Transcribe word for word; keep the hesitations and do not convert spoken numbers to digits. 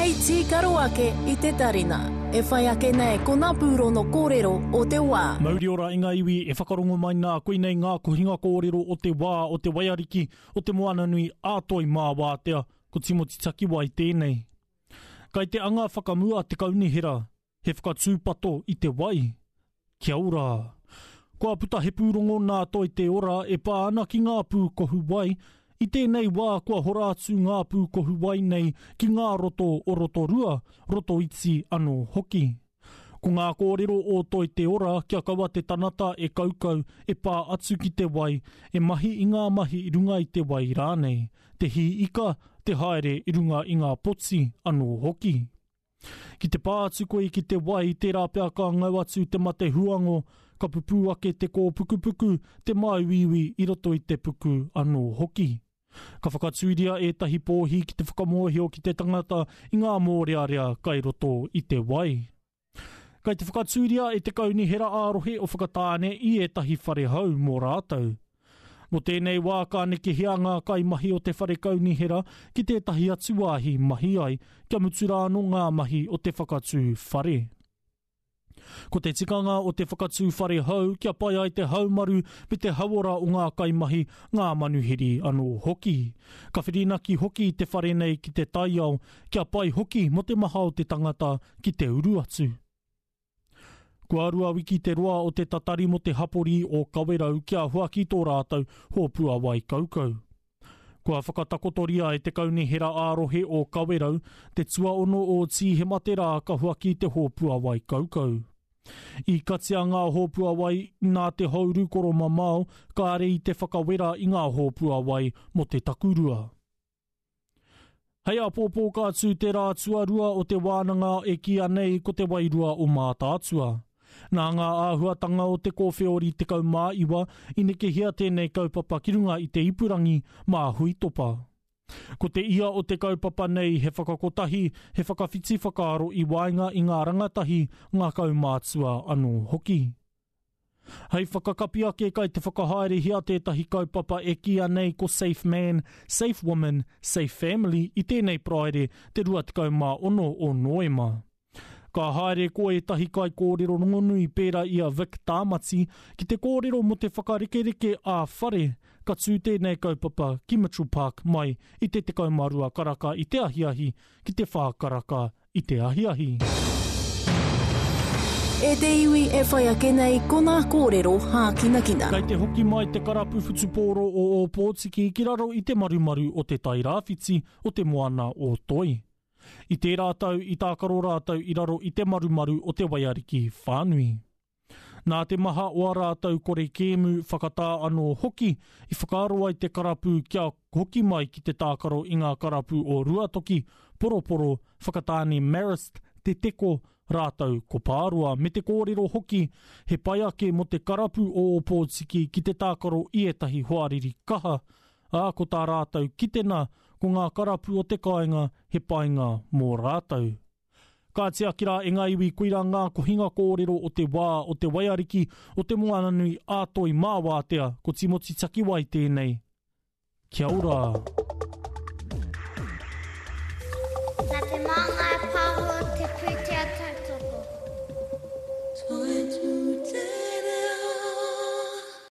Hei tīkaro ake i te tarina. E whai ake nei ko ngā pūrono kōrero o te wā. Mauri ora i ngā iwi e whakarongo mai nā koinei ngā kohinga kōrero o te wā o te waiariki o te Moananui a Toi mā Wātea, ko Timoti Takiwai tēnei. Kai te anga whakamua te kaunihera, he whakatūpato i te wai. Kia ora! Kua puta he pūrongo nā Toi Te Ora e pā ana ki ngā pūkohu wai. I tēnei wā kua hora atu ngā pūkohu wai nei ki ngā roto o Rotorua, Rotoiti anō hoki. Ko ngā kōrero o Toi Te Ora kia kaua te tanata e kaukau e pā atu ki te wai, e mahi i ngā mahi i runga i te wai rānei, te hī ika, te haere i runga i ngā poti anō hoki. Ki te pā atu koe ki te wai, tērā pea ka ngau atu te mate huango, ka pupū ake te kōpukupuku, te māuiui i roto i te puku anō hoki. Ka whakatūria ētahi pōhi ki te whakamōhio ki te tangata i ngā mōrearea kai roto i te wai. Kai te whakatūria e te kaunihera ā-rohe o Whakatāne i ētahi whare hou mō rātou. Mō tēnei wā ka nekehia ngā kaimahi o te whare kaunihera ki tētahi atu wāhi mahi ai kia mutu rā anō ngā mahi o te whakatū whare. Ko te tikanga o te whakatū whare hou kia pai ai te haumaru me te hauora o ngā kaimahi, ngā manuhiri anō hoki. Ka whirinaki hoki te whare nei ki te taiao kia pai hoki mō te maha o te tangata ki te uru atu. Kua rua wiki te roa o te tatari mō te hapori o Kawerau kia huaki tō rātou hōpua wai kaukau. Kua whakatakotoria e te kaunihera ā-rohe o Kawerau te tuaono o Tīhema te rā ka huaki te hōpua wai kaukau. I katia ngā hōpua wai nā te houru koromamao kāre i te whakawera i ngā hōpua wai mō te takurua. Hei āpōpō ka tū te rā tuarua o te wānanga e kīia nei ko te wairua o Mātaatua. Nā ngā āhuatanga o te kōwheori tekau mā iwa i nekehia tēnei kaupapa ki runga i te ipurangi mā Huitopa. Ko te ia o te kaupapa nei he whakakotahi, he whakawhiti whakaaro i waenga i ngā rangatahi, ngā kaumātua anō hoki. Hei whakakapi ake kai te whakahaerehia tētahi kaupapa e kīia nei ko Safe Man, Safe Woman, Safe Family i tēnei Paraire te rua tekau mā ono o Noema. Ka haere ko ētahi kaikōrero rongonui pērā i a Vic Tāmati ki te kōrero mō te whakarekereke ā-whare, ka tū tēnei kaupapa ki Mitchell Park mai i te tekau mā rua karaka i te ahiahi ki te whā karaka i te ahiahi. E te iwi e whai ake nei ko ngā kōrero hākinakina. Kei te hoki mai te karapu whutupōro o Ōpōtiki ki raro i te marumaru o te Tairāwhiti o te Moana o Toi. I tērā tau i tākaro rātou i raro i te marumaru o te waiariki whānui. Nā te maha o ā rātou kore kēmu whakatā anō hoki i whakaaro ai te karapu kia hoki mai ki te tākaro i ngā karapu o Ruatoki, Poroporo, Whakatāne Marist, Te Teko, rātou ko Pāroa, me te kōrero hoki he pai ake mō te karapu o Ōpōtiki ki te tākaro i ētahi hoariri kaha, ā, ko tā rātou kitena ko ngā karapu o te kāinga he painga mō rātou. Ka tiaki rā e ngā iwi koirā ngā kohinga kōrero o te wā o te waiariki o te Moananui a Toi mā Wātea, ko Timoti Takiwai tēnei. Kia ora! Nā te Māngai